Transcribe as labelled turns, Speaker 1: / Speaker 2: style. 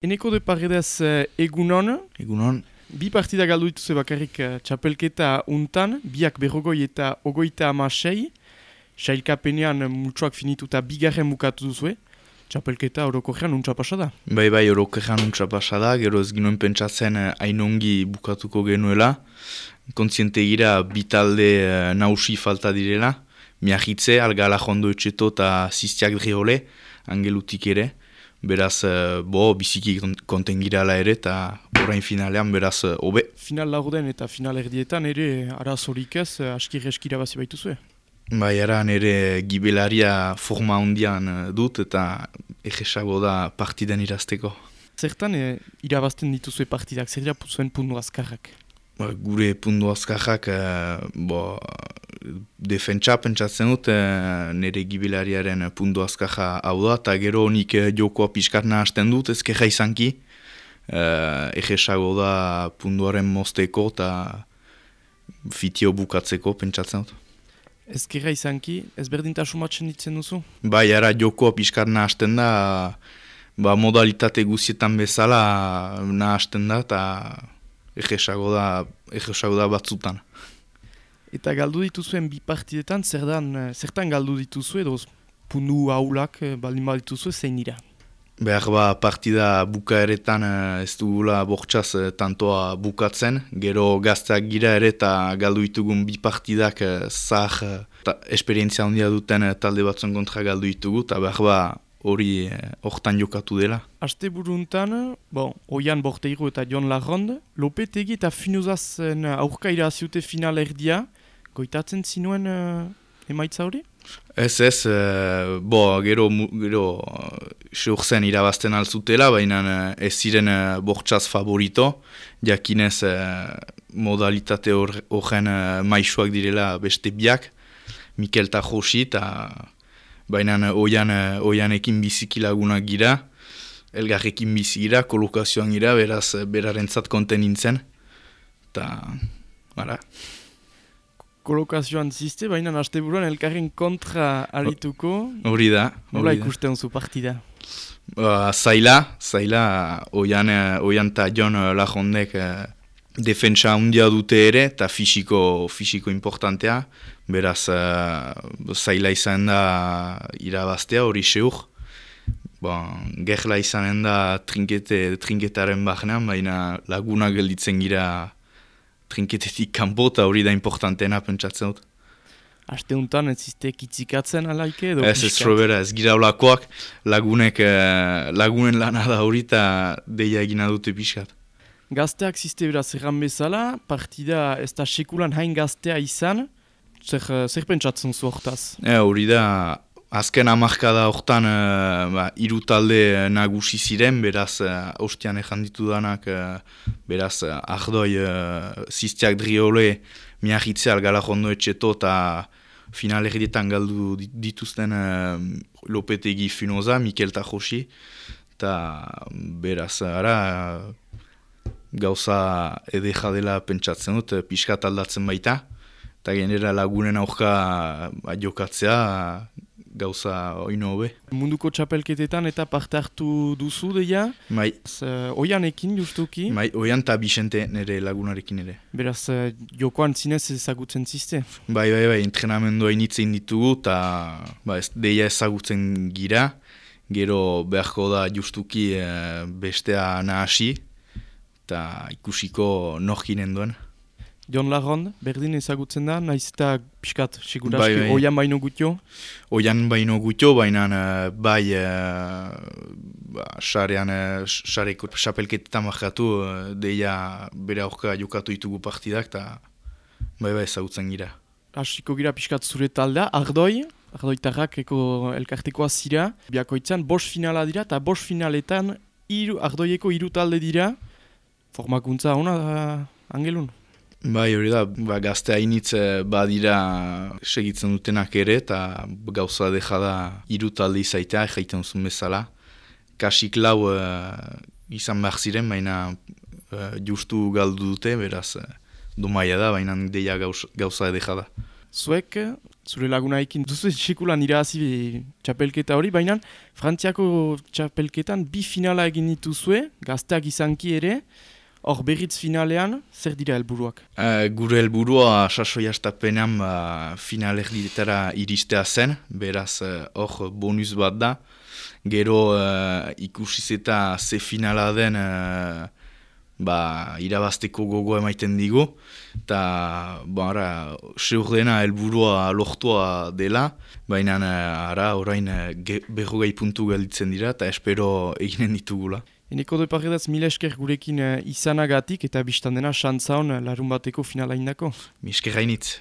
Speaker 1: Eneko de Paredes egunon.
Speaker 2: Egunon.
Speaker 1: Bi partida galdu dituzue bakarrik txapelketa untan, biak berrogoi eta ogoita amasei. Sailkapenean multsoak finituta bigarren bukatu duzue. Txapelketa orokorrean untsa pasada.
Speaker 2: Bai, orokorrean untsa pasada, gero ez ginoen pentsatzen hainongi bukatuko genuela. Kontziente gira bitalde nausi falta direla. Miahitze, Algala Jondo Etxeto eta Ziztiak Driole, angelutik ere. Beraz, biziki konten girala ere eta orain finalean beraz, hobe.
Speaker 1: Final laurden eta final erdietan ere arazorik ez askir-eskira bazi baituzue.
Speaker 2: Bai, eran ere gibelaria forma hondian dut eta egesago da partidan irazteko.
Speaker 1: Zertan irabazten dituzue partidak, zer dira zuen puntu azkarrak?
Speaker 2: Gure puntu azkarrak, defentsa pentsatzen dut, nire gibelariaren puntu azkarra hau da, eta gero nik jokoa pixkarna hasten dut, ezkerra izanki, egesago da puntuaren mozteko eta fitio bukatzeko pentsatzen dut.
Speaker 1: Ezkerra izanki, ezberdintasun batzen ditzen duzu?
Speaker 2: Bai, ara jokoa pixkarna hasten da, modalitate guzietan bezala hasten da, eta egesago da batzutan.
Speaker 1: Eta galdu dituzuen bi partidetan, zertan galdu dituzue, edo puntu haulak baldin badituzue zein dira?
Speaker 2: Behar partida bukaeretan ez dugula bortxaz tantoa bukatzen, gero gazteak gira ere eta galdu ditugun bi partidak zahar esperientzia handia duten talde batzuen kontra galdu ditugu, eta behar hori hortan jokatu dela.
Speaker 1: Aste buruntan, Oian Borteiru eta Jon Larrond, Lopetegi eta Finuzazen aurka iraziute final erdia, goitatzen zinuen emaitza hori?
Speaker 2: Ez, gero seurzen irabazten alzutela, baina ez ziren bortxaz favorito, jakinez modalitate horren maisuak direla beste biak, Mikel eta Josi, eta baina oianekin biziki lagunak gira, elgarrekin bizi gira, kolokazioan gira, beraz berarentzat konten nintzen, eta bara.
Speaker 1: Kolokazioan ziste, baina asteburuan elkarren kontra arituko.
Speaker 2: Hori da.
Speaker 1: Nola ikusten zu partida?
Speaker 2: Zaila, oian eta Jon Larrondek defentsa handia dute ere, eta fisiko importantea. Beraz, zaila izan da irabaztea, hori seur. Gerla izanen da trinketaren bahnean, baina lagunak gelditzen gira trinketetik kanpo, eta hori da importanteena pentsatzen dut.
Speaker 1: Aste untan ez ziste kitzikatzen alaike edo piskat?
Speaker 2: Ez robera, ez gira olakoak, lagunen lana da hori eta deia egina dute piskat.
Speaker 1: Gazteak ziste beraz erran bezala, partida ez da sekulan hain gaztea izan, zer pentsatzen zu hortaz?
Speaker 2: Hori da, azken hamarkada hortan hiru talde nagusi ziren, beraz ostian ezan ditudanak, beraz Ardoi, Ziztiak Driole, Miahitze, Algala Jondo Etxeto eta final erdietan galdu dituzten Lopetegi Finoza, Mikel eta Josi, eta beraz gauza edeja dela pentsatzen dut, pixkat aldatzen baita, eta genera lagunen aurka jokatzea, gauza oino hobe.
Speaker 1: Munduko txapelketetan eta parte hartu duzu deia?
Speaker 2: Bai.
Speaker 1: Oianekin justuki?
Speaker 2: Bai, Oian eta Bixente nire lagunarekin ere.
Speaker 1: Beraz, jokoan zinez ezagutzen ziste?
Speaker 2: Bai, entrenamendua initzen ditugu eta deia ezagutzen gira. Gero beharko da justuki bestea nahasi eta ikusiko norkinen duen.
Speaker 1: Jon Larrond, berdin ezagutzen da, nahiz eta pixkat, siguraski, Oian baino gutio? Oian
Speaker 2: baino gutio, baina sareko xapelketetan markatu, deia bere aurka jokatu ditugu partidak, eta ezagutzen gira.
Speaker 1: Hasiko gira pixkat zure taldea, Ardoitarrak elkartekoa zira, biakoitzan, 5 finala dira, eta 5 finaletan Ardoieko 3 talde dira, formakuntza hona, Angelun?
Speaker 2: Bai, hori da, gazte hainitz badira segitzen dutenak ere, eta gauza deja da 3 talde izaitea, jaiten zuen bezala. Kasik 4 izan behar ziren, baina justu galdu dute, beraz domaia da, baina deia gauza deja da.
Speaker 1: Zuek, zure lagunaekin duzu sekulan irabazi txapelketa hori, baina Frantziako txapelketan 2 finala egin dituzue, gazteak izanki ere, hor berriz finalean, zer dira helburuak?
Speaker 2: Gure helburua sasoi hastapenean finalerdietara iristea zen, beraz hor bonus bat da. Gero ikusiz eta ze finala den irabazteko gogoa emaiten digu. Eta seurdena helburua lortua dela, baina orain 40 puntu gelditzen dira eta espero eginen ditugula.
Speaker 1: Eneko Deparredaz, mila esker gurekin izanagatik eta biztan dena xantza hon larun bateko finala indako.
Speaker 2: Mi esker hainitz.